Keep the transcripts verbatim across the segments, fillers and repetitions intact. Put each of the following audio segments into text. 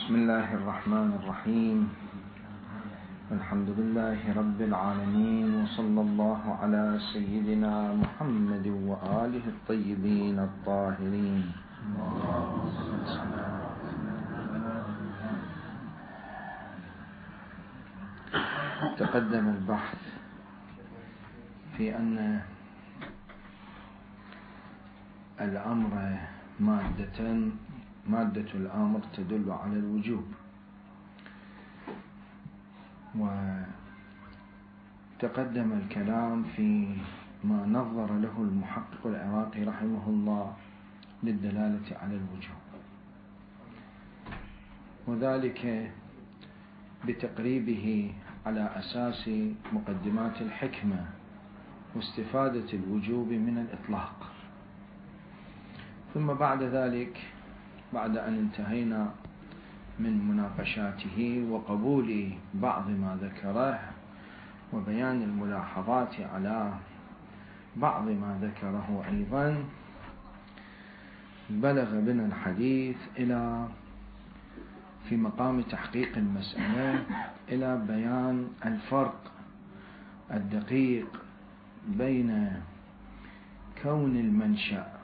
بسم الله الرحمن الرحيم. الحمد لله رب العالمين، وصلى الله على سيدنا محمد وآله الطيبين الطاهرين. تقدم البحث في أن الأمر مادة مادة الأمر تدل على الوجوب، وتقدم الكلام في ما نظر له المحقق العراقي رحمه الله للدلالة على الوجوب، وذلك بتقريبه على أساس مقدمات الحكمة واستفادة الوجوب من الإطلاق. ثم بعد ذلك، بعد أن انتهينا من مناقشاته وقبول بعض ما ذكره وبيان الملاحظات على بعض ما ذكره أيضا، بلغ بنا الحديث إلى في مقام تحقيق المسألة إلى بيان الفرق الدقيق بين كون المنشأ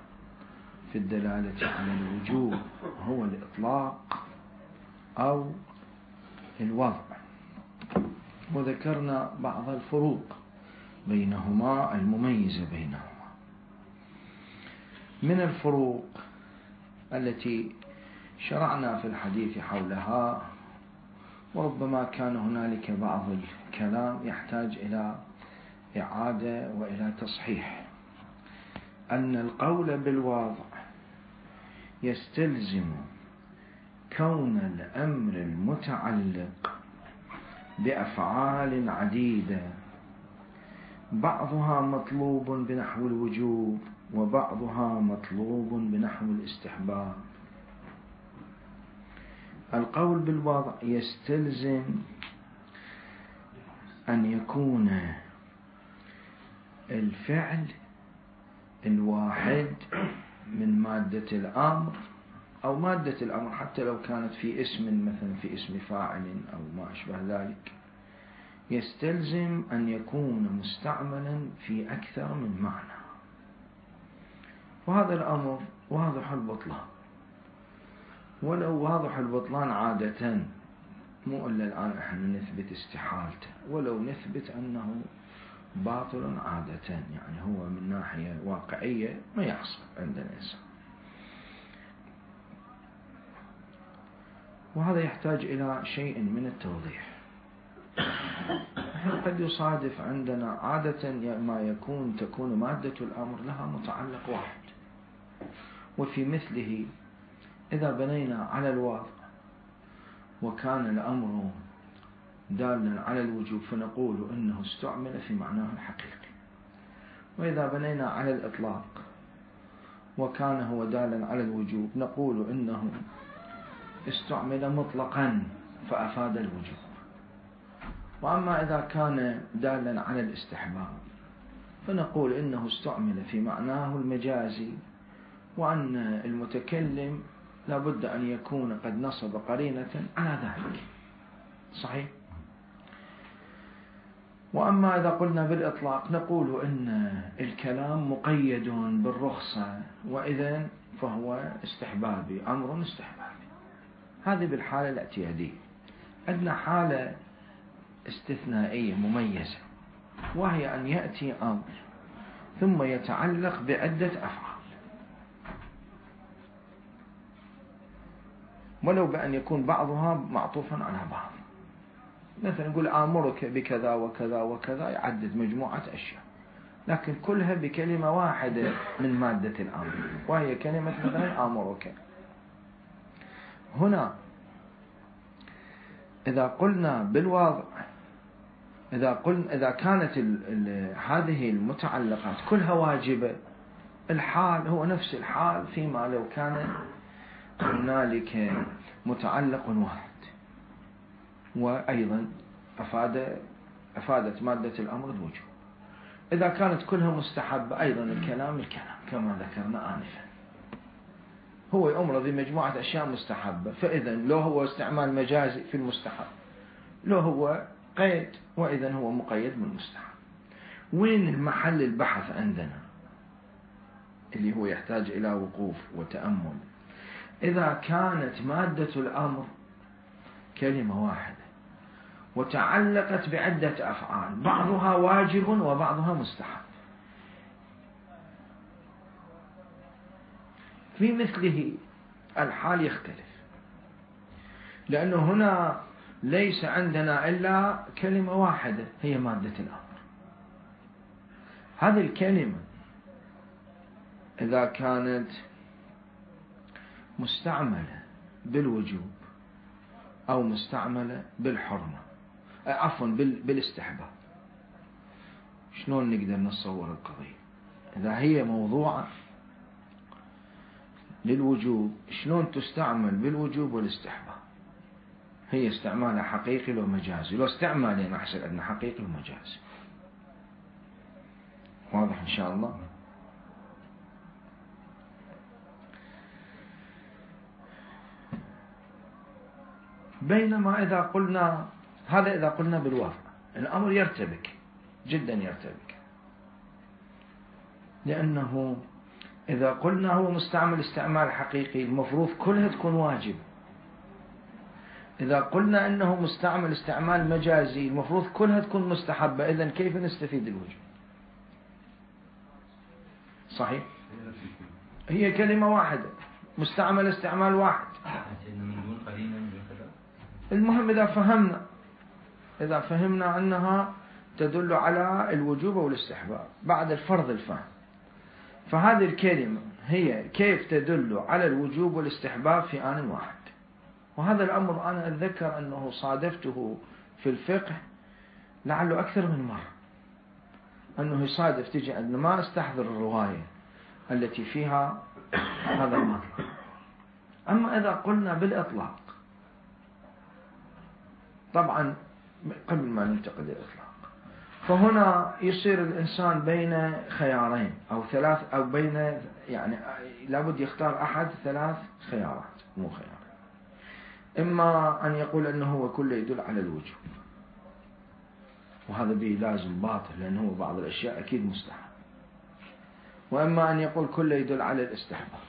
في الدلالة على الوجوب هو الإطلاق أو الوضع، وذكرنا بعض الفروق بينهما المميزة بينهما. من الفروق التي شرعنا في الحديث حولها، وربما كان هنالك بعض الكلام يحتاج إلى إعادة وإلى تصحيح، أن القول بالوضع يستلزم كون الأمر المتعلق بأفعال عديدة بعضها مطلوب بنحو الوجوب وبعضها مطلوب بنحو الاستحباب. القول بالوضع يستلزم أن يكون الفعل الواحد من مادة الأمر أو مادة الأمر حتى لو كانت في اسم، مثلا في اسم فاعل أو ما أشبه ذلك، يستلزم أن يكون مستعملا في أكثر من معنى، وهذا الأمر واضح البطلان، ولو واضح البطلان عادة، مو إلا الآن احنا نثبت استحالته، ولو نثبت أنه باطل عادة، يعني هو من ناحية واقعية ما يحصل عند الإنسان، وهذا يحتاج إلى شيء من التوضيح. قد يصادف عندنا عادة ما يكون تكون مادة الأمر لها متعلق واحد، وفي مثله إذا بنينا على الوضع وكان الأمر دالا على الوجوب فنقول إنه استعمل في معناه الحقيقي، وإذا بنينا على الإطلاق وكان هو دالا على الوجوب نقول إنه استعمل مطلقا فأفاد الوجوب. وأما إذا كان دالا على الاستحباب فنقول إنه استعمل في معناه المجازي، وأن المتكلم لابد أن يكون قد نصب قرينة على ذلك. صحيح؟ وأما إذا قلنا بالإطلاق نقول إن الكلام مقيد بالرخصة، وإذن فهو استحبابي، أمر استحبابي. هذه بالحالة الاعتيادية. عندنا حالة استثنائية مميزة، وهي أن يأتي أمر ثم يتعلق بعدة أفعال، ولو بأن يكون بعضها معطوفا على بعض. مثلا نقول آمرك بكذا وكذا وكذا، يعدد مجموعة أشياء، لكن كلها بكلمة واحدة من مادة الأمر، وهي كلمة مثلا آمرك. هنا إذا قلنا بالوضع، إذا قلنا إذا كانت ال ال هذه المتعلقات كلها واجبة، الحال هو نفس الحال فيما لو كان هنالك متعلق واحد، وأيضا أفاد أفادت مادة الأمر الوجوب. إذا كانت كلها مستحبة أيضا الكلام الكلام كما ذكرنا آنفا. هو يأمر بمجموعة أشياء مستحبة، فإذا لو هو استعمال مجازي في المستحب، لو هو قيد، وإذا هو مقيد بالمستحب. وين المحل البحث عندنا اللي هو يحتاج إلى وقوف وتأمل؟ إذا كانت مادة الأمر كلمة واحدة وتعلقت بعدة أفعال بعضها واجب وبعضها مستحب، في مثله الحال يختلف، لأنه هنا ليس عندنا إلا كلمة واحدة هي مادة الأمر. هذه الكلمة إذا كانت مستعملة بالوجوب أو مستعملة بالحرمة، عفوا بالاستحباب، شلون نقدر نتصور القضية؟ إذا هي موضوعة للوجوب شلون تستعمل بالوجوب والاستحباب؟ هي استعمالها حقيقي ومجازي، لو استعمالين أحسن أن حقيقي ومجازي. واضح إن شاء الله؟ بينما إذا قلنا هذا، إذا قلنا بالوضع الأمر يرتبك جدا، يرتبك، لأنه إذا قلنا هو مستعمل استعمال حقيقي المفروض كلها تكون واجب، إذا قلنا أنه مستعمل استعمال مجازي المفروض كلها تكون مستحبة، إذن كيف نستفيد الوجوب؟ صحيح؟ هي كلمة واحدة مستعمل استعمال واحد. المهم إذا فهمنا إذا فهمنا أنها تدل على الوجوب والاستحباب بعد الفرض الفهم، فهذه الكلمة هي كيف تدل على الوجوب والاستحباب في آن واحد. وهذا الأمر أنا أتذكر أنه صادفته في الفقه لعله أكثر من مرة، أنه يصادف تجي أن ما أستحضر الرواية التي فيها هذا المطلب. أما إذا قلنا بالإطلاق، طبعا قبل ما ننتقل للإطلاق، فهنا يصير الإنسان بين خيارين أو ثلاث، أو بين يعني لابد يختار أحد ثلاث خيارات، مو خيار. إما أن يقول أنه هو كله يدل على الوجوب، وهذا به لازم باطل لأنه بعض الأشياء أكيد مستحب، وإما أن يقول كله يدل على الاستحباب،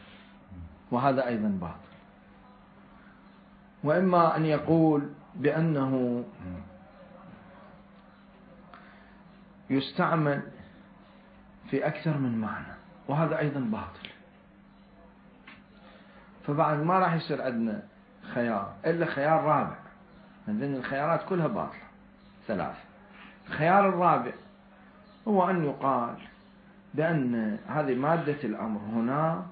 وهذا أيضا باطل، وإما أن يقول بأنه يستعمل في أكثر من معنى، وهذا أيضا باطل. فبعد ما راح يصير عندنا خيار إلا خيار رابع، لأن الخيارات كلها باطلة ثلاثة. الخيار الرابع هو أن يقال بأن هذه مادة الأمر هنا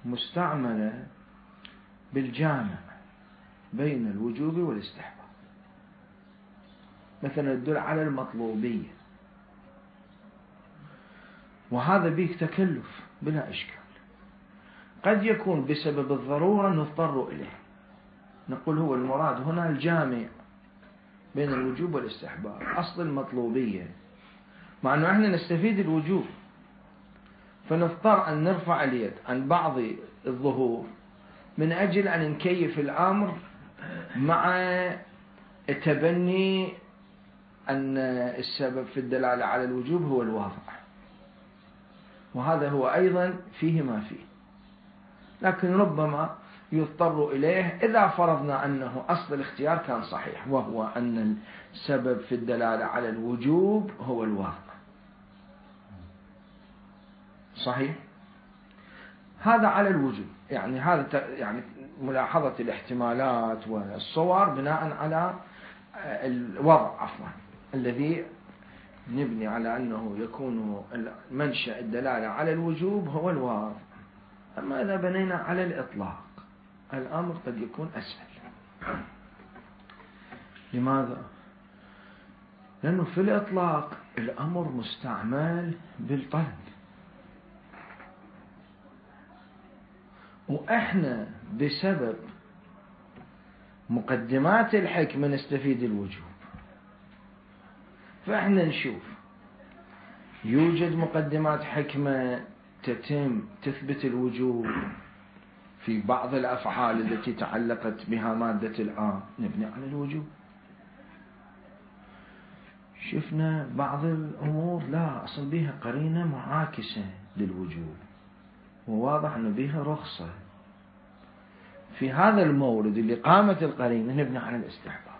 مستعملة بالجامع بين الوجوب والاستحباب، مثلا تدل على المطلوبية، وهذا به تكلف بلا إشكال. قد يكون بسبب الضرورة نضطر إليه، نقول هو المراد هنا الجامع بين الوجوب والاستحباب، أصل المطلوبية، مع أنه احنا نستفيد الوجوب، فنضطر أن نرفع اليد عن بعض الظهور من أجل أن نكيف الأمر مع التبني أن السبب في الدلالة على الوجوب هو الواضع، وهذا هو أيضا فيه ما فيه، لكن ربما يضطر إليه إذا فرضنا أنه أصل الاختيار كان صحيح، وهو أن السبب في الدلالة على الوجوب هو الواقع. صحيح؟ هذا على الوجوب، يعني هذا يعني ملاحظة الاحتمالات والصور بناء على الوضع عفوا الذي نبني على أنه يكون منشأ الدلالة على الوجوب هو الواقع. أما إذا بنينا على الإطلاق الأمر قد يكون أسهل. لماذا؟ لأنه في الإطلاق الأمر مستعمل بالطلب، وإحنا بسبب مقدمات الحكمة نستفيد الوجوب، فإحنا نشوف يوجد مقدمات حكمة تتم تثبت الوجوب، في بعض الأفعال التي تعلقت بها مادة الآن نبني على الوجوب. شفنا بعض الأمور لا أصل بها قرينة معاكسة للوجوب وواضح أنه بها رخصة، في هذا المورد اللي قامت القرينة نبني على الاستحباب.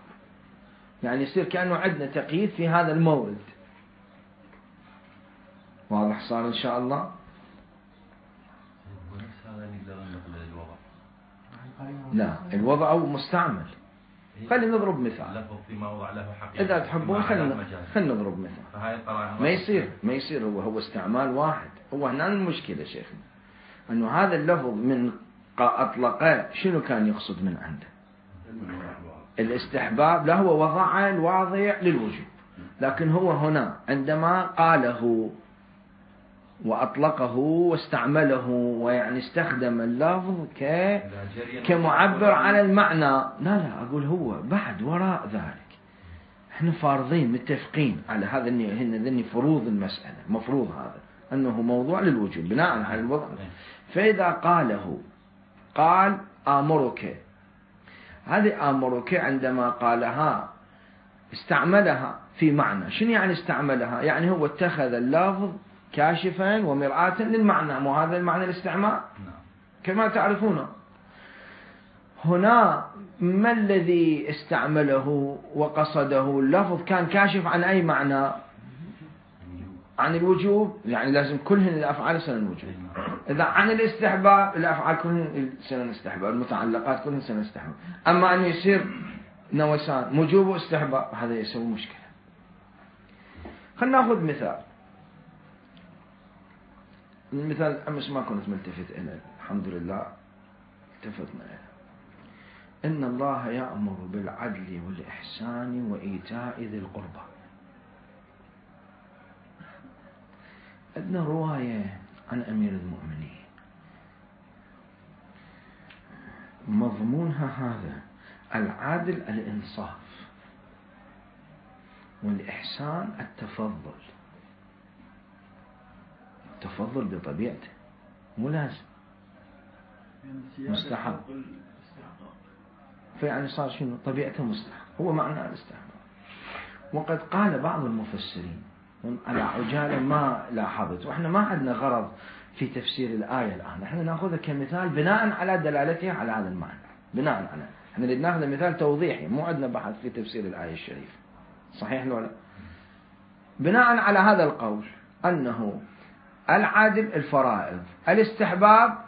يعني يصير كأنه عندنا تقييد في هذا المورد. واضح صار إن شاء الله؟ لا، الوضع مستعمل. خلينا نضرب مثال إذا تحبون. خلينا خلينا نضرب مثال. ما يصير ما يصير هو هو استعمال واحد. هو هنا المشكلة شيخنا أنه هذا اللفظ من أطلقه شنو كان يقصد من عنده؟ الاستحباب. لا، هو وضع الواضع للوجوب، لكن هو هنا عندما قاله وأطلقه واستعمله ويعني استخدم اللفظ ك كمعبر على المعنى. لا لا أقول هو بعد وراء ذلك احنا فارضين متفقين على هذا هن ذني فروض المسألة، مفروض هذا أنه موضوع للوجوب بناء على الوضع. فإذا قاله قال آمرك، هذه آمرك عندما قالها استعملها في معنى. شنو يعني استعملها؟ يعني هو اتخذ اللفظ كاشفا ومرآة للمعنى، مو هذا المعنى الاستعمال كما تعرفون. هنا ما الذي استعمله وقصده؟ اللفظ كان كاشف عن أي معنى؟ عن الوجوب، يعني لازم كلهن الأفعال سنة الوجوب. إذا عن الاستحباب الأفعال كلهن سنة الاستحباب، المتعلقات كلهن سنة الاستحباب. أما أن يصير نوسان وجوب واستحباب هذا يسوي مشكلة. خلنا نأخذ مثال. المثال أمس ما كنت ملتفت إليه، الحمد لله التفتنا إليه. إن الله يأمر بالعدل والإحسان وإيتاء ذي القربى. عندنا رواية عن أمير المؤمنين مضمونها هذا: العدل الإنصاف والإحسان التفضل. التفضل بطبيعته مو لازم، مستحب. فيعني صار شنو طبيعته مستحب، هو معنى الاستحباب. وقد قال بعض المفسرين على عجالة ما لاحظت، واحنا ما عندنا غرض في تفسير الآية الآن، احنا نأخذها كمثال بناء على دلالتها على هذا المعنى. بناء على احنا نريد ناخذ مثال توضيحي، مو عندنا بحث في تفسير الآية الشريفة، صحيح ولا؟ بناء على هذا القول أنه العدل الفرائض، الاستحباب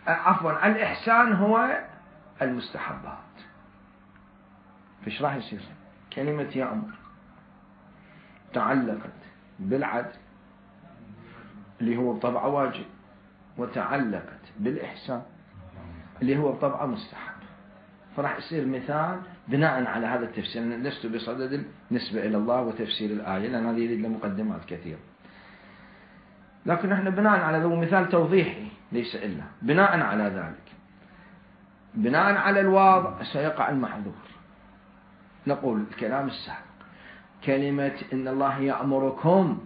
عفوا الإحسان هو المستحبات. فايش راح يصير؟ كلمة يأمر تعلقت بالعدل اللي هو بطبعه واجب، وتعلقت بالإحسان اللي هو بطبعه مستحب. فراح يصير مثال بناء على هذا التفسير. أنا لست بصدد النسبة إلى الله وتفسير الآية لأن هذه يريد له مقدمات كثيرة، لكن احنا بناء على ذو مثال توضيحي ليس إلا بناء على ذلك، بناء على الواضع سيقع المحظور. نقول الكلام السابق كلمة إن الله يأمركم،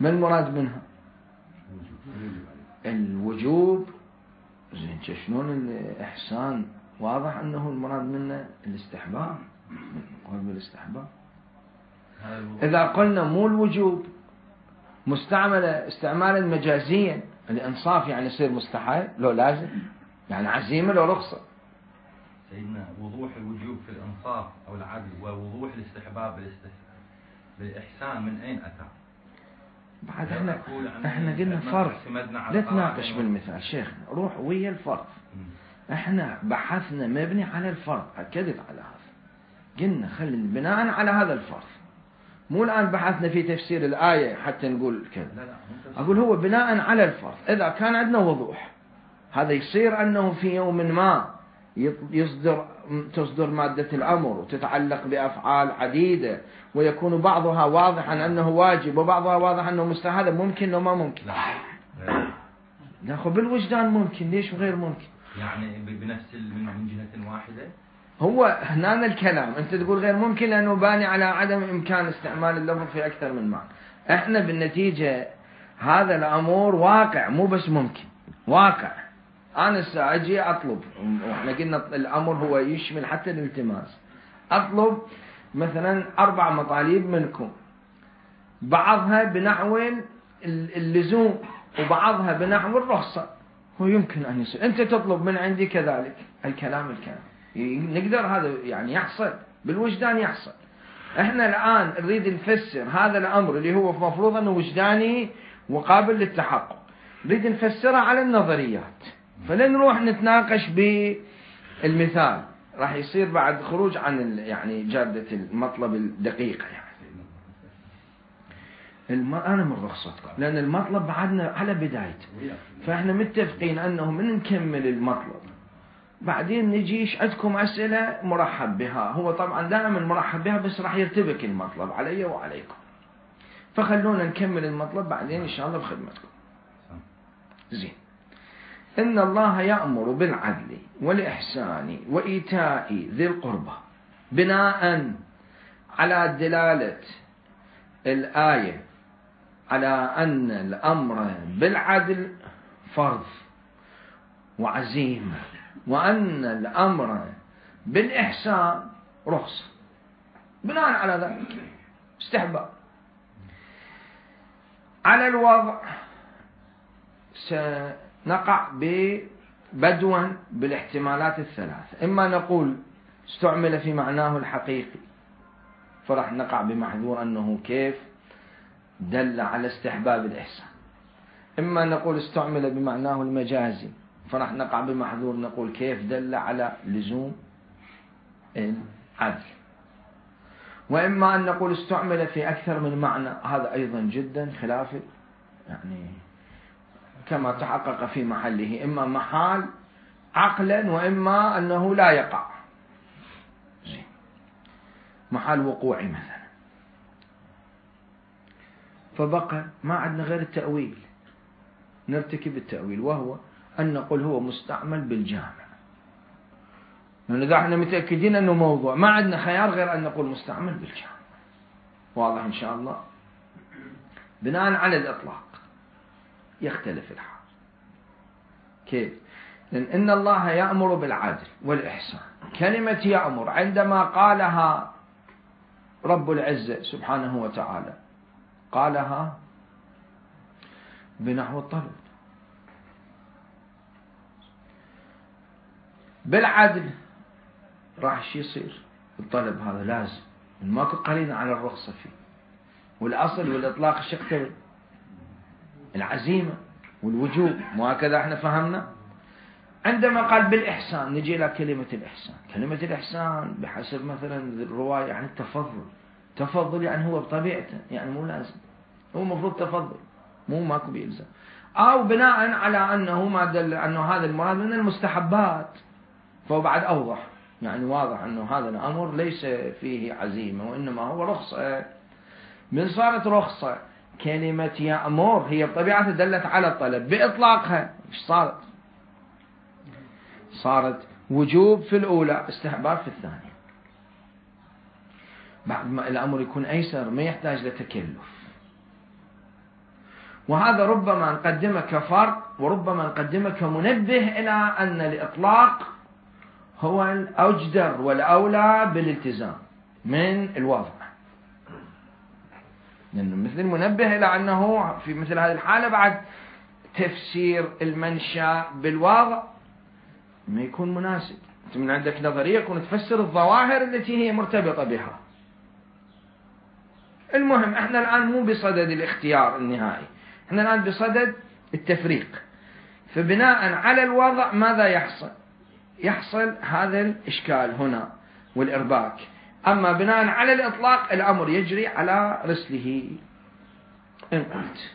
ما المراد منها؟ الوجوب. زين شلون الإحسان؟ واضح أنه المراد منه الاستحباب، نقول بالاستحباب. إذا قلنا مو الوجوب مستعملة استعمالا مجازيا، الإنصاف يعني يصير مستحب لو لازم، يعني عزيمة لو رخصة. سيدنا وضوح الوجوب في الإنصاف أو العدل ووضوح الاستحباب بالإحسان من أين أتى؟ بعد احنا احنا قلنا فرض، لا تناقش بالمثال شيخنا، روح ويا الفرض. احنا بحثنا مبني على الفرض، أكدت على هذا، قلنا خلينا بناء على هذا الفرض، مو الآن بحثنا في تفسير الآية حتى نقول كذا. أقول هو بناء على الفرض. إذا كان عندنا وضوح هذا يصير أنه في يوم ما يصدر تصدر مادة الأمر وتتعلق بأفعال عديدة ويكون بعضها واضحا أنه واجب وبعضها واضح أنه مستحب، هذا ممكن وما ممكن؟ ناخذ بالوجدان ممكن، ليش غير ممكن؟ يعني بنفس من جهة واحدة. هو هنا الكلام أنت تقول غير ممكن لأنه باني على عدم إمكان استعمال اللفظ في أكثر من معنى. احنا بالنتيجة هذا الأمر واقع، مو بس ممكن، واقع. أنا سأجي أطلب، وإحنا قلنا الأمر هو يشمل حتى الالتماس. أطلب مثلا أربع مطالب منكم، بعضها بنحو اللزوم وبعضها بنحو الرخصة، هو يمكن أن يصير أنت تطلب من عندي كذلك. الكلام الكلام نقدر هذا يعني يحصل بالوجدان يحصل. احنا الآن نريد نفسر هذا الأمر اللي هو مفروض أنه وجداني وقابل للتحقق، نريد نفسره على النظريات، فلن نروح نتناقش بالمثال، راح يصير بعد خروج عن يعني جادة المطلب الدقيقة. يعني الم... أنا من رخصتكم لأن المطلب بعدنا على بدايته، فإحنا متفقين أنه من نكمل المطلب بعدين نجيش عندكم أسئلة مرحب بها. هو طبعا دائما مرحب بها بس راح يرتبك المطلب علي وعليكم، فخلونا نكمل المطلب بعدين إن شاء الله بخدمتكم. زين. إن الله يأمر بالعدل والإحسان وإيتاء ذي القربى، بناء على دلالة الآية على أن الأمر بالعدل فرض وعزيمة، وأن الأمر بالإحسان رخصة، بناء على ذلك استحباب. على الوضع سنقع بدوا بالاحتمالات الثلاثة، إما نقول استعمل في معناه الحقيقي فرح نقع بمحذور أنه كيف دل على استحباب الإحسان، إما نقول استعمل بمعناه المجازي فرح نقع بمحذور نقول كيف دل على لزوم العدل، وإما أن نقول استعمل في أكثر من معنى، هذا أيضا جدا خلاف يعني كما تحقق في محله، إما محال عقلا وإما أنه لا يقع، محال وقوعي مثلا. فبقى ما عندنا غير التأويل، نرتكب التأويل، وهو أن نقول هو مستعمل بالجامع، لأن إذا احنا متأكدين أنه موضوع ما عندنا خيار غير أن نقول مستعمل بالجامع. واضح إن شاء الله. بناء على الإطلاق يختلف الحال. كيف؟ لأن إن الله يأمر بالعدل والإحسان، كلمة يأمر عندما قالها رب العزة سبحانه وتعالى قالها بنحو الطلب. بالعدل راح شي يصير الطلب هذا لازم، ماكو قرينة على الرخصة فيه، والأصل والإطلاق ايش يقتضي؟ العزيمة والوجوب، مو هكذا احنا فهمنا؟ عندما قال بالإحسان نجي إلى كلمة الإحسان. كلمة الإحسان بحسب مثلا الرواية يعني التفضل، تفضل يعني هو بطبيعته يعني مو لازم، هو مفروض تفضل مو ماكو بيلزم، أو بناء على أنه ما دل أنه هذا المراد من المستحبات، فهو بعد أوضح يعني واضح أنه هذا الأمر ليس فيه عزيمة وإنما هو رخصة. من صارت رخصة كلمة يأمر هي بطبيعتها دلت على الطلب بإطلاقها، إيش صارت؟ صارت وجوب في الأولى استحباب في الثانية. بعد ما الأمر يكون أيسر ما يحتاج لتكلف، وهذا ربما نقدمه كفرق وربما نقدمه كمنبه إلى أن الإطلاق هو الأجدر والأولى بالالتزام من الوضع، لأنه مثل المنبه إلى أنه في مثل هذه الحالة بعد تفسير المنشأ بالوضع ما يكون مناسب. أنت من عندك نظرية يكون تفسر الظواهر التي هي مرتبطة بها. المهم احنا الآن مو بصدد الاختيار النهائي، احنا الآن بصدد التفريق. فبناء على الوضع ماذا يحصل؟ يحصل هذا الإشكال هنا والإرباك. أما بناء على الإطلاق الأمر يجري على رسله إن قلت،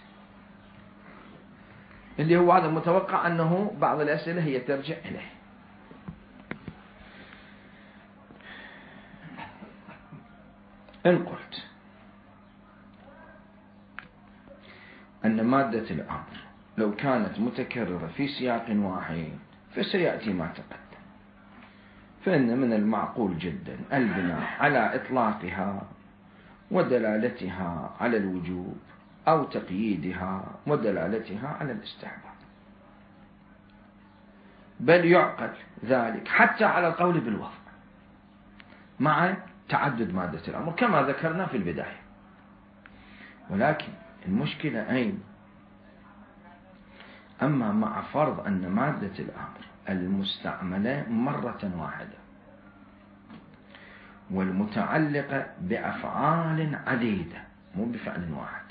اللي هو هذا متوقع أنه بعض الأسئلة هي ترجع إليه. إن قلت أن مادة الأمر لو كانت متكررة في سياق واحد فسيأتي ما تقدم، فإن من المعقول جدا البناء على إطلاقها ودلالتها على الوجوب أو تقييدها ودلالتها على الاستحباب. بل يعقل ذلك حتى على القول بالوضع مع تعدد مادة الأمر كما ذكرنا في البداية. ولكن المشكلة أين؟ أما مع فرض أن مادة الأمر المستعملة مرة واحدة والمتعلقة بأفعال عديدة مو بفعل واحد،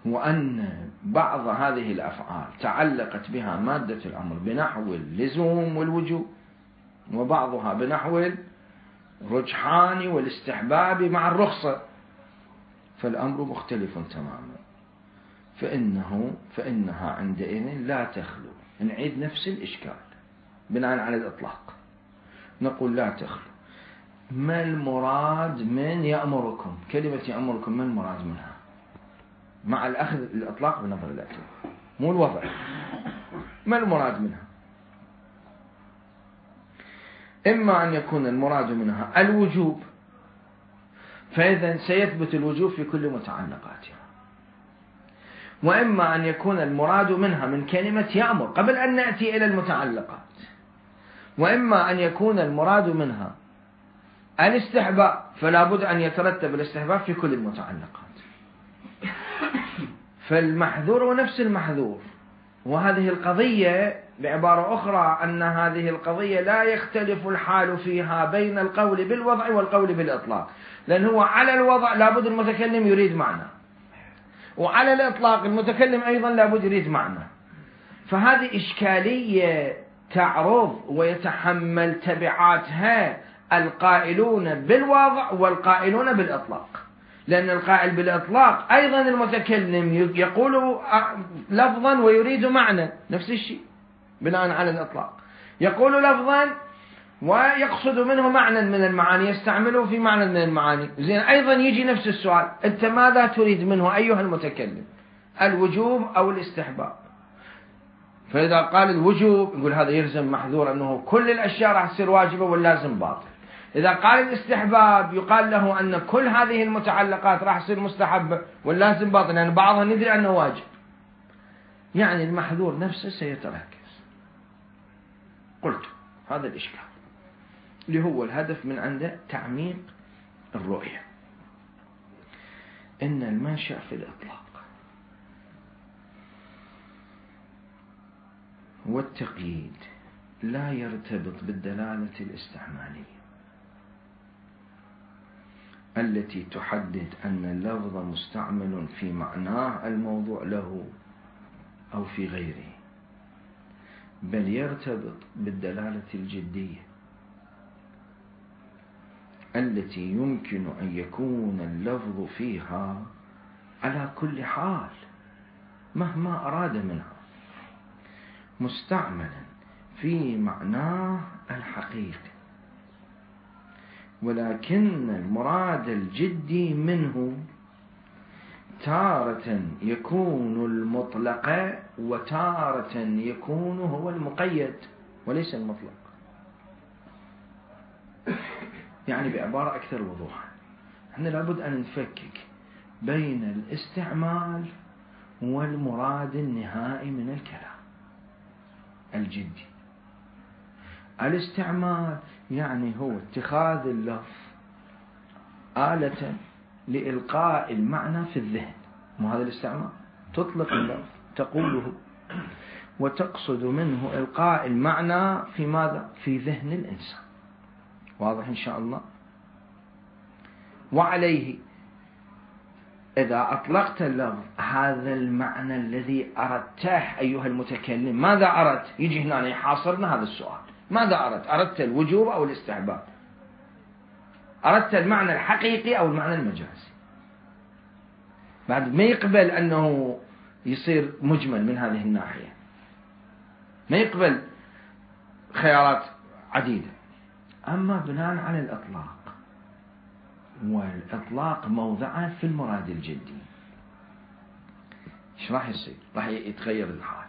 وأن بعض هذه الأفعال تعلقت بها مادة الأمر بنحو اللزوم والوجوب، وبعضها بنحو الرجحان والاستحباب مع الرخصة، فالأمر مختلف تماما، فإنه فإنها عندئذ لا تخلو. نعيد نفس الإشكال بناء على الإطلاق، نقول لا تخلو. ما المراد من يأمركم؟ كلمة يأمركم ما المراد منها؟ مع الأخذ الإطلاق بنظر الاعتبار مو الوضع، ما المراد منها؟ إما أن يكون المراد منها الوجوب، فإذا سيثبت الوجوب في كل متعلقاتها، وإما أن يكون المراد منها من كلمة يأمر قبل أن نأتي إلى المتعلقات، وإما أن يكون المراد منها الاستحباب، فلا بد أن يترتب الاستحباب في كل المتعلقات. فالمحذور ونفس المحذور. وهذه القضية بعبارة أخرى أن هذه القضية لا يختلف الحال فيها بين القول بالوضع والقول بالإطلاق، لأن هو على الوضع لابد المتكلم يريد معنى، وعلى الإطلاق المتكلم أيضا لابد يريد معنى. فهذه إشكالية تعرض ويتحمل تبعاتها القائلون بالوضع والقائلون بالإطلاق، لأن القائل بالإطلاق أيضا المتكلم يقول لفظا ويريد معنى، نفس الشيء بناء على الإطلاق، يقول لفظا ويقصد منه معنى من المعاني، يستعمله في معنى من المعاني. زين، أيضا يجي نفس السؤال، أنت ماذا تريد منه أيها المتكلم؟ الوجوب أو الاستحباب؟ فإذا قال الوجوب يقول هذا يلزم محذور أنه كل الأشياء راح تصير واجبة واللازم باطل. إذا قال الاستحباب يقال له أن كل هذه المتعلقات راح تصير مستحبة واللازم باطل، لأن يعني بعضها ندري أنه واجب. يعني المحذور نفسه سيتركز. قلت هذا الإشكال اللي هو الهدف من عنده تعميق الرؤية، إن المنشأ في الإطلاق والتقييد لا يرتبط بالدلالة الاستعمالية التي تحدد أن اللفظ مستعمل في معناه الموضوع له أو في غيره، بل يرتبط بالدلالة الجدية التي يمكن أن يكون اللفظ فيها على كل حال مهما أراد منها مستعملا في معناه الحقيقي، ولكن المراد الجدي منه تارة يكون المطلق وتارة يكون هو المقيد وليس المطلق. يعني بعبارة أكثر وضوحا، احنا لابد أن نفكك بين الاستعمال والمراد النهائي من الكلام الجدي. الاستعمال يعني هو اتخاذ اللفظ آلة لإلقاء المعنى في الذهن، مو هذا الاستعمال؟ تطلق اللفظ تقوله وتقصد منه إلقاء المعنى في ماذا؟ في ذهن الإنسان. واضح إن شاء الله؟ وعليه إذا أطلقت اللفظ هذا المعنى الذي أردته أيها المتكلم، ماذا أردت؟ يجي هنا يحاصرنا هذا السؤال، ماذا أردت؟ أردت الوجوب أو الاستحباب؟ أردت المعنى الحقيقي أو المعنى المجازي؟ بعد ما يقبل أنه يصير مجمل من هذه الناحية، ما يقبل خيارات عديدة. أما بناء على الإطلاق، والإطلاق موضعه في المراد الجدي، إيش راح يصير؟ راح يتغير الحال.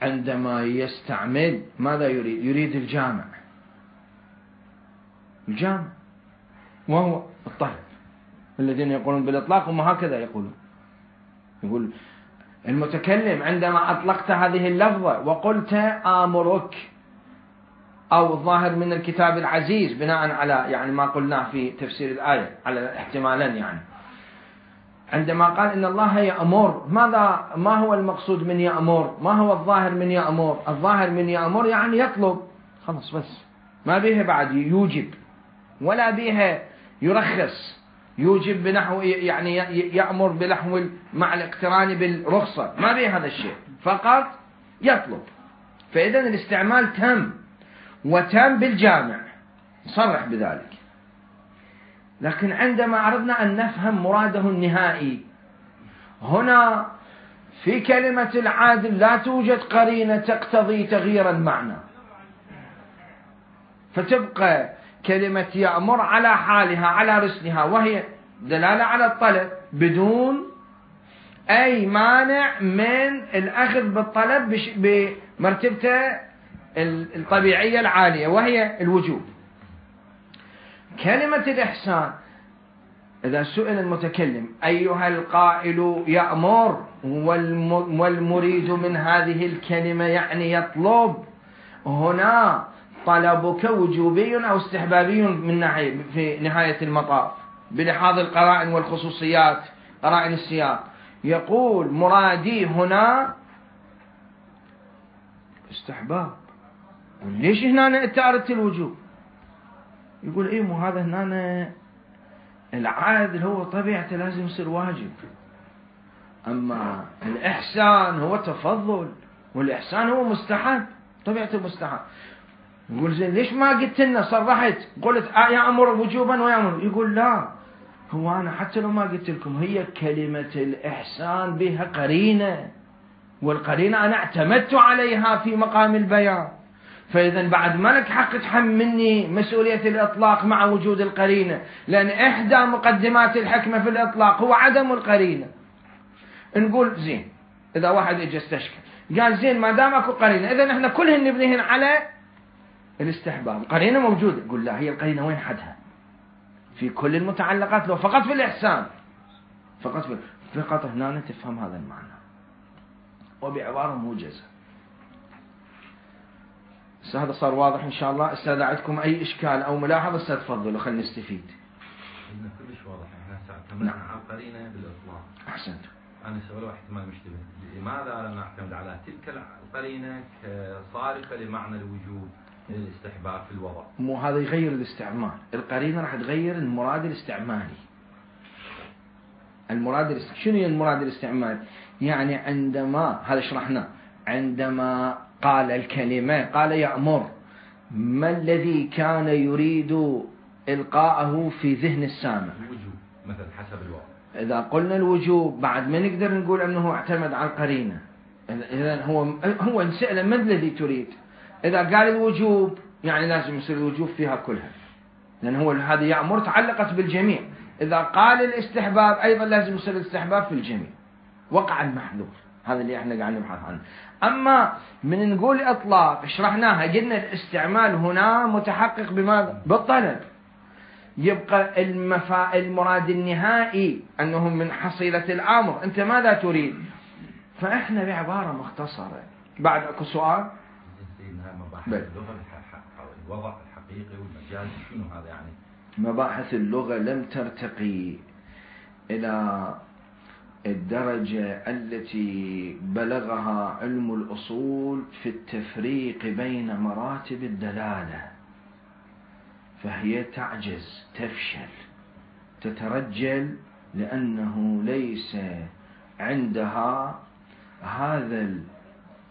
عندما يستعمل ماذا يريد؟ يريد الجامع، الجامع وهو الطلب. الذين يقولون بالإطلاق هم هكذا يقولون، يقول المتكلم عندما أطلقت هذه اللفظة وقلت آمرك، أو الظاهر من الكتاب العزيز بناء على يعني ما قلناه في تفسير الآية على احتمالا، يعني عندما قال إن الله يأمر، ماذا ما هو المقصود من يأمر؟ ما هو الظاهر من يأمر؟ الظاهر من يأمر يعني يطلب، خلاص بس ما بيها بعد يوجب ولا بيها يرخص. يوجب بنحو يعني يأمر بنحو مع الاقتران بالرخصة، ما بيه هذا الشيء، فقط يطلب. فإذا الاستعمال تم وتم بالجامع صرح بذلك. لكن عندما أردنا أن نفهم مراده النهائي، هنا في كلمة العادل لا توجد قرينة تقتضي تغيير المعنى، فتبقى كلمة يأمر على حالها على رسلها، وهي دلالة على الطلب بدون أي مانع من الأخذ بالطلب بمرتبته الطبيعية العالية وهي الوجوب. كلمة الإحسان إذا سئل المتكلم أيها القائل يأمر والمريد من هذه الكلمة يعني يطلب، هنا طلبك وجوبي أو استحبابي من ناحية في نهاية المطاف بلحاظ القرائن والخصوصيات قرائن السياق. يقول مرادي هنا استحباب، ليش هنا أنت أردت الوجوب؟ يقول إيه مو هذا هنا العادل هو طبيعته لازم يصير واجب، أما الإحسان هو تفضل والإحسان هو مستحب طبيعته مستحب. يقول زين ليش ما قلت لنا صرحت قلت يأمر وجوبا ويأمر؟ يقول لا، هو أنا حتى لو ما قلت لكم هي كلمة الإحسان بها قرينة، والقرينة أنا اعتمدت عليها في مقام البيان، فإذا بعد ما لك حق تحملني مسؤولية الإطلاق مع وجود القرينة، لأن إحدى مقدمات الحكمة في الإطلاق هو عدم القرينة. نقول زين إذا واحد اجى استشكل قال زين ما دام اكو قرينة إذا احنا كلهن نبنيهن على الاستحباب، قرينة موجودة. يقول لا، هي القرينة وين حدها؟ في كل المتعلقات لو فقط في الإحسان، فقط في فقط هنا تفهم هذا المعنى وبعبارة موجزة. هذا صار واضح إن شاء الله. استاذ عندكم أي إشكال أو ملاحظة استفضلوا خلينا نستفيد. إنه كلش واضح. إحنا اعتمدنا نعم. على القرينة بالإطلاق. أحسنت. أنا سؤال احتمال مشتبه، لماذا لا نعتمد على تلك القرينة كصارفة لمعنى الوجوب الاستحباب في الوضع؟ مو هذا يغير الاستعمال، القرينة راح تغير المراد الاستعمالي. المراد الاست... شنو المراد الاستعمالي؟ يعني عندما هذا شرحناه، عندما قال الكلمة قال يأمر، ما الذي كان يريد إلقاءه في ذهن السامع؟ الوجوب مثلا حسب الوضع. إذا قلنا الوجوب بعد ما نقدر نقول أنه اعتمد على القرينة. إذا هو هو نسأله ما الذي تريد؟ إذا قال الوجوب يعني لازم يصير الوجوب فيها كلها، لأن هو هذا يأمر تعلقت بالجميع. إذا قال الاستحباب أيضا لازم يصير الاستحباب في الجميع، وقع المحذور. هذا اللي احنا قاعدين نبحث عنه. أما من نقول إطلاق شرحناها قلنا الاستعمال هنا متحقق بماذا؟ بالطلب. يبقى المفا... المراد النهائي أنه من حصيلة الأمر أنت ماذا تريد؟ فإحنا بعبارة مختصرة. بعد أكو سؤال؟ مباحث اللغة الوضع الحقيقي والمجاز شنو هذا يعني؟ مباحث اللغة لم ترتقي إلى الدرجة التي بلغها علم الأصول في التفريق بين مراتب الدلالة، فهي تعجز، تفشل، تترجل، لأنه ليس عندها هذا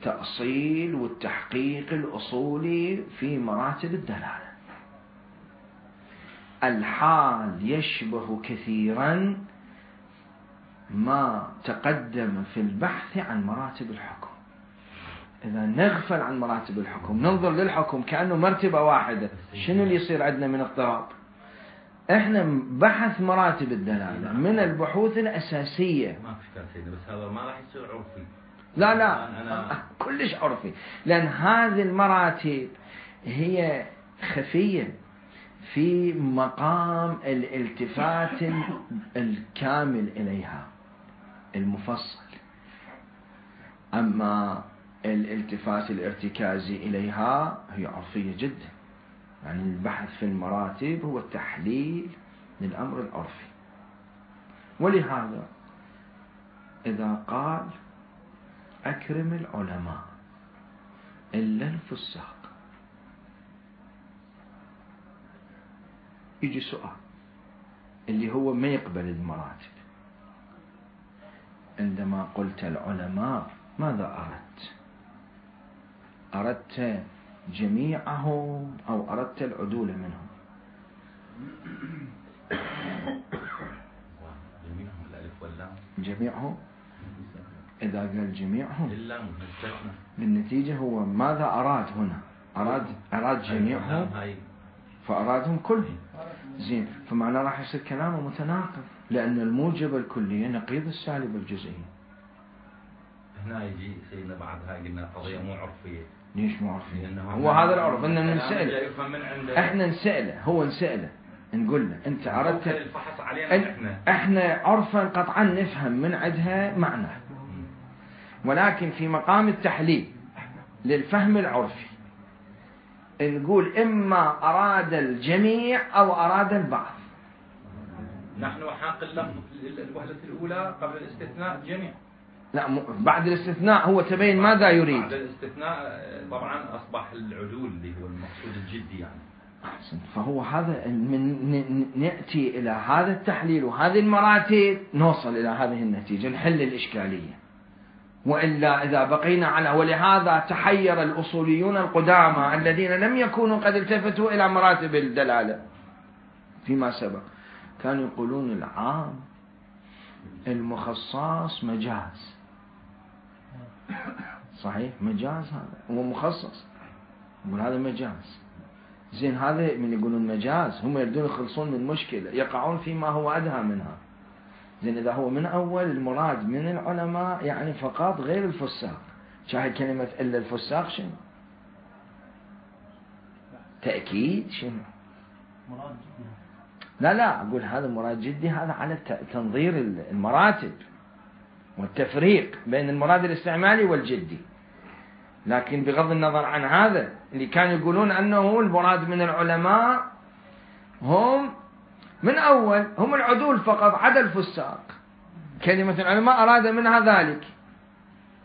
التأصيل والتحقيق الأصولي في مراتب الدلالة. الحال يشبه كثيرا ما تقدم في البحث عن مراتب الحكم. إذا نغفل عن مراتب الحكم ننظر للحكم كأنه مرتبة واحدة، شنو اللي يصير عندنا من اضطراب؟ احنا بحث مراتب الدلالة من البحوث الأساسية. ما في إشكال سيدي، بس هذا ما راح يصير عرفي. لا لا أنا... كلش عرفي، لأن هذه المراتب هي خفية في مقام الالتفات الكامل إليها المفصل. أما الالتفات الارتكازي إليها هي عرفية جدا. يعني البحث في المراتب هو التحليل للأمر العرفي. ولهذا إذا قال أكرم العلماء إلا الفساق، يجي سؤال اللي هو ما يقبل المراتب. عندما قلت العلماء ماذا أردت؟ أردت جميعهم أو أردت العدول منهم؟ جميعهم الألف واللام. جميعهم. إذا قال جميعهم اللام مستثنى. بالنتيجة هو ماذا أراد هنا؟ أراد أراد جميعهم فأرادهم كلهم. زين، فمعنى راح يصير كلامه متناقض، لأن الموجب الكلية نقيض السالب الجزئي. هنا يجي سيدنا بعد هاي قلنا قضية مو عرفية. ليش مو عرفية؟ هو هذا العرف إننا نسأله. إحنا نسأله، هو نسأله نقول له أنت أردت الفحص علينا. إحنا إحنا عرفا قطعا نفهم من عندها معنى، ولكن في مقام التحليل للفهم العرفي نقول إما أراد الجميع أو أراد البعض. نحن حاق اللفظ الوهلة الأولى قبل الاستثناء جميع. لا، بعد الاستثناء هو تبين ماذا يريد. بعد الاستثناء طبعا أصبح العدول اللي هو المقصود الجدي يعني. فهو هذا من نأتي إلى هذا التحليل وهذه المراتب نوصل إلى هذه النتيجة، نحل الإشكالية. وإلا إذا بقينا على، ولهذا تحير الأصوليون القدامى الذين لم يكونوا قد التفتوا إلى مراتب الدلالة فيما سبق، كانوا يقولون العام المخصص مجاز. صحيح، مجاز، هذا هو مخصص، يقول هذا مجاز. زين، هذا من يقولون مجاز هم يريدون يخلصون من مشكلة، يقعون فيما هو أدهى منها. زين، إذا هو من أول المراد من العلماء يعني فقط غير الفساق، شاهد كلمة إلا الفساق شنو؟ تأكيد شنو؟ مراد جدي. لا لا، أقول هذا مراد جدي، هذا على تنظير المراتب والتفريق بين المراد الاستعمالي والجدي. لكن بغض النظر عن هذا اللي كانوا يقولون أنه المراد من العلماء هم من أول هم العدول فقط عدا الفساق. كلمة العلماء أراد منها ذلك،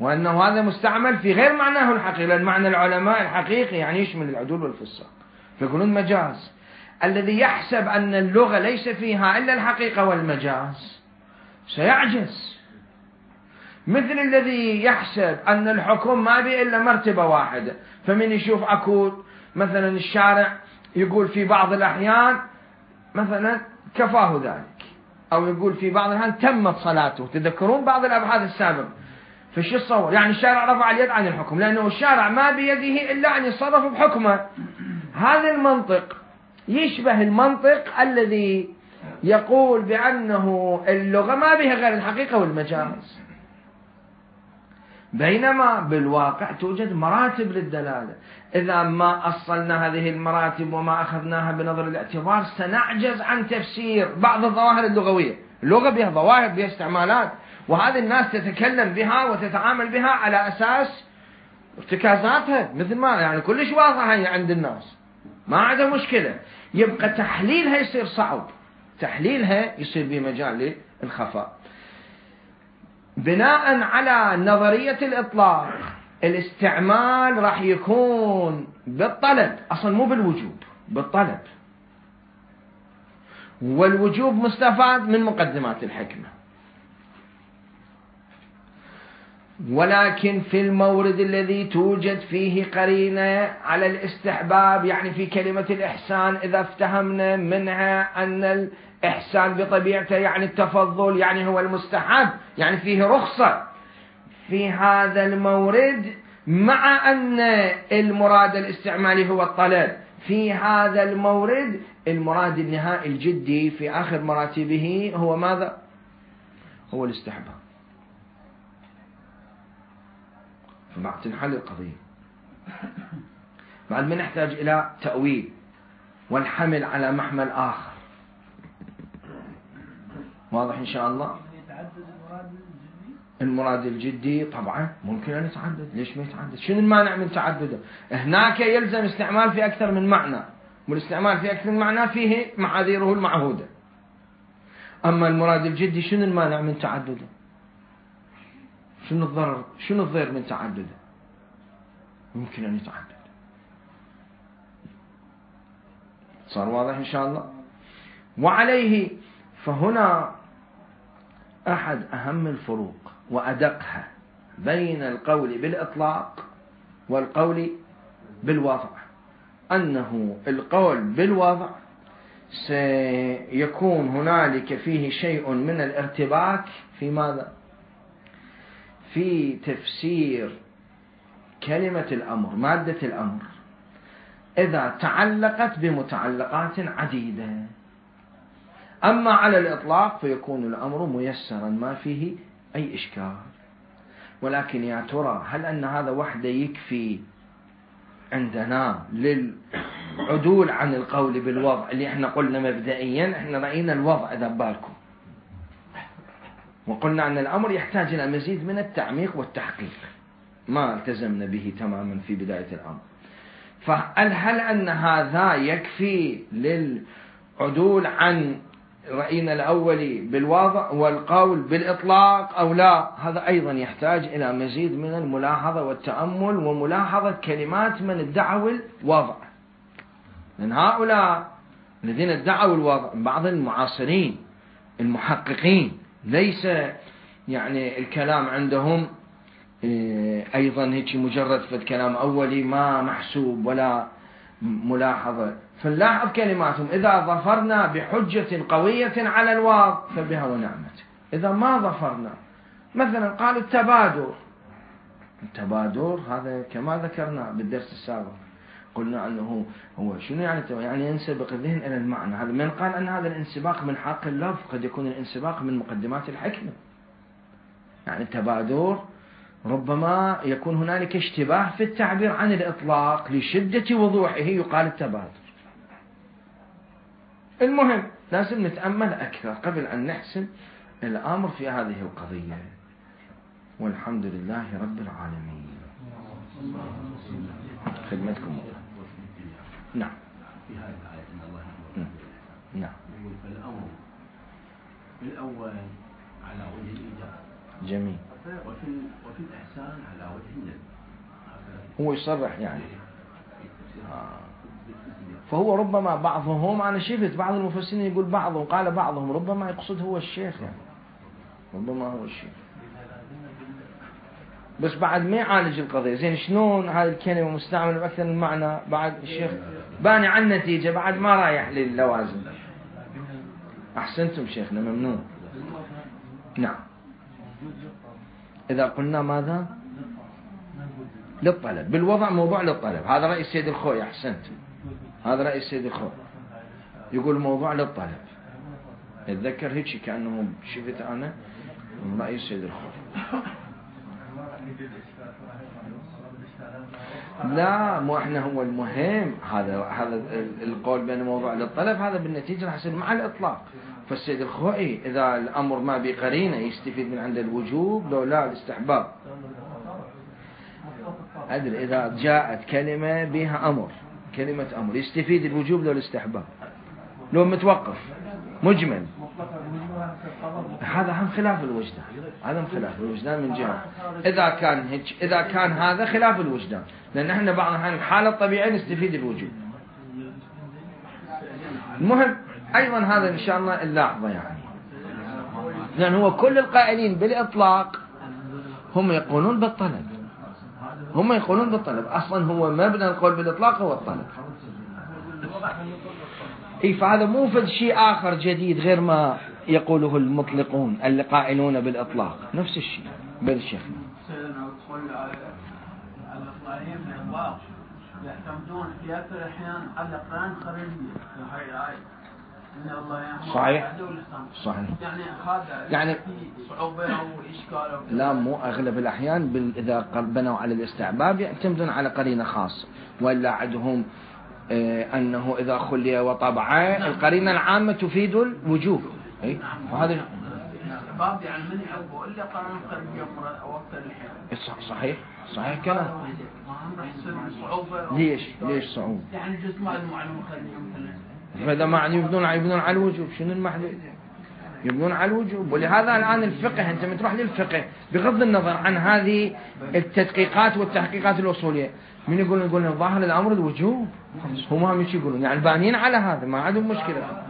وأنه هذا مستعمل في غير معناه الحقيقي، لأن معنى العلماء الحقيقي يعني يشمل العدول والفساق، فيقولون مجاز. الذي يحسب أن اللغة ليس فيها إلا الحقيقة والمجاز سيعجز، مثل الذي يحسب أن الحكم ما به إلا مرتبة واحدة، فمن يشوف أكو مثلا الشارع يقول في بعض الأحيان مثلا كفاه ذلك، أو يقول في بعض الأحيان تمت صلاته. تذكرون بعض الأبحاث السابقة، فش يتصور؟ يعني الشارع رفع اليد عن الحكم، لأنه الشارع ما بيده إلا أن يتصرف بحكمه. هذا المنطق يشبه المنطق الذي يقول بأنه اللغة ما بها غير الحقيقة والمجاز، بينما بالواقع توجد مراتب للدلالة. إذا ما أصلنا هذه المراتب وما أخذناها بنظر الاعتبار سنعجز عن تفسير بعض الظواهر اللغوية. اللغة بها ظواهر، بها استعمالات، وهذه الناس تتكلم بها وتتعامل بها على أساس ارتكازاتها، مثل ما يعني كلش واضحة هي عند الناس، ما عندها مشكلة. يبقى تحليلها يصير صعب، تحليلها يصير بمجال للخفاء. بناء على نظرية الإطلاق الاستعمال راح يكون بالطلب، أصلا مو بالوجوب، بالطلب، والوجوب مستفاد من مقدمات الحكمة. ولكن في المورد الذي توجد فيه قرينة على الاستحباب، يعني في كلمة الإحسان إذا افتهمنا منها أن الإحسان بطبيعته يعني التفضل، يعني هو المستحب، يعني فيه رخصة في هذا المورد، مع أن المراد الاستعمالي هو الطلب، في هذا المورد المراد النهائي الجدي في آخر مراتبه هو ماذا؟ هو الاستحباب. فبعد تنحل القضية، بعد ما نحتاج إلى تأويل والحمل على محمل آخر. واضح إن شاء الله؟ المراد الجدي طبعا ممكن أن يتعدد، ليش ما يتعدد؟ شنو المانع من تعدده؟ هناك يلزم استعمال في أكثر من معنى، والاستعمال في أكثر من معنى فيه معاذيره المعهودة. أما المراد الجدي شنو المانع من تعدده؟ شنو الضرر؟ شنو الضير من تعدده؟ ممكن أن يتعدد. صار واضح إن شاء الله؟ وعليه فهنا أحد أهم الفروق وأدقها بين القول بالإطلاق والقول بالوضع، أنه القول بالوضع سيكون هنالك فيه شيء من الارتباك في ماذا؟ في تفسير كلمة الأمر، مادة الأمر، إذا تعلقت بمتعلقات عديدة. أما على الإطلاق فيكون الأمر ميسرا ما فيه أي إشكال. ولكن يا ترى هل أن هذا وحده يكفي عندنا للعدول عن القول بالوضع اللي احنا قلنا مبدئيا؟ احنا رأينا الوضع إذا بالكم، وقلنا أن الأمر يحتاج إلى مزيد من التعميق والتحقيق، ما التزمنا به تماما في بداية الأمر. فهل هل أن هذا يكفي للعدول عن رأينا الأولي بالوضع والقول بالإطلاق أو لا؟ هذا أيضا يحتاج إلى مزيد من الملاحظة والتأمل وملاحظة كلمات من ادعوا الوضع، لأن هؤلاء الذين ادعوا الوضع بعض المعاصرين المحققين ليس يعني الكلام عندهم أيضا هيك مجرد في الكلام أولي ما محسوب ولا ملاحظة. فنلاحظ كلماتهم: إذا ظفرنا بحجة قوية على الواضع فبها ونعمت. إذا ما ظفرنا، مثلا قالوا التبادر. التبادر هذا كما ذكرنا بالدرس السابق، قلنا أنه هو شنو يعني؟ يعني ينسبق الذهن إلى المعنى. هذا من قال أن هذا الانسباق من حق اللفظ، قد يكون الانسباق من مقدمات الحكمة. يعني التبادر ربما يكون هنالك اشتباه في التعبير عن الإطلاق، لشدة وضوحه يقال التبادر. المهم لازم نتأمل أكثر قبل أن نحسم الأمر في هذه القضية. والحمد لله رب العالمين. خدمتكم الله. نعم. في هذه الآية إن الله نعم. يقول فالأمر بالأول على وجه الإيجاب. جميل. وفي وفي الإحسان على وجه الندب. هو يصرح يعني. آه. فهو ربما بعضهم، أنا شفت بعض المفسرين يقول بعضهم، قال بعضهم ربما يقصد هو الشيخ يعني، ربما هو الشيخ، بس بعد ما يعالج القضية. زين شلون هذه الكلمة مستعملة بأكثر من معنى؟ بعد الشيخ باني عن النتيجة، بعد ما رايح للوازن. أحسنتم شيخنا، ممنون. نعم. إذا قلنا ماذا؟ للطلب بالوضع، موضوع للطلب. هذا رأي السيد الخوي. أحسنت، هذا رأي السيد الخوي، يقول موضوع للطلب. اتذكر هيك كأنه شفت أنا من رأي السيد الخوي. لا، مو احنا هو المهم هذا هذا القول بأن موضوع للطلب هذا بالنتيجة راح يصير مع الإطلاق. فالسيد الخوئي إذا الأمر ما بقرينه يستفيد من عند الوجوب لو لا الاستحباب. أدري إذا جاءت كلمة بها أمر، كلمة أمر، يستفيد الوجوب لو الاستحباب، لو متوقف مجمل. هذا هم خلاف الوجدان، هذا هم خلاف الوجدان من جهة. إذا كان هيك، إذا كان هذا خلاف الوجدان، لأن احنا بعض الأحيان الحالة الطبيعية نستفيد الوجوب. المهم أيضا هذا إن شاء الله اللحظة يعني، لأن هو كل القائلين بالإطلاق هم يقولون بالطلب، هم يقولون بالطلب. أصلا هو مبنى القول بالإطلاق هو الطلب. إيه، فهذا مو فد شيء آخر جديد غير ما يقوله المطلقون اللي قائلون بالإطلاق، نفس الشيء بالشيخ. يعتمدون في أكثر الأحيان على قرآن خارجية في هاي الآية. صحيح صحيح. يعني هذا يعني في صعوبة أو إشكال أو لا، مو أغلب الأحيان بال... إذا بنوا على الاستحباب يعتمدون على قرينة خاصة، ولا عندهم آه أنه إذا خلي وطبعه القرينة العامة تفيد الوجوب. أي، وهذا الاستحباب يعني من يعوقه الا قرن خارجي وقت الحين. صحيح صحيح كلام. ما هم راح يصير صعوبه. ليش ليش صعوبة؟ يعني جزء ما له معلومه خارجيه مثلا. فإذا ما يبنون يبنون على الوجوب شنو المحدود؟ يبنون على الوجوب. ولهذا الآن الفقه أنت بتروح للفقه بغض النظر عن هذه التدقيقات والتحقيقات الأصولية من يقول يقول ظاهر الأمر الوجوب هم هم ايش يقولون يعني بانين على هذا ما عندهم مشكلة.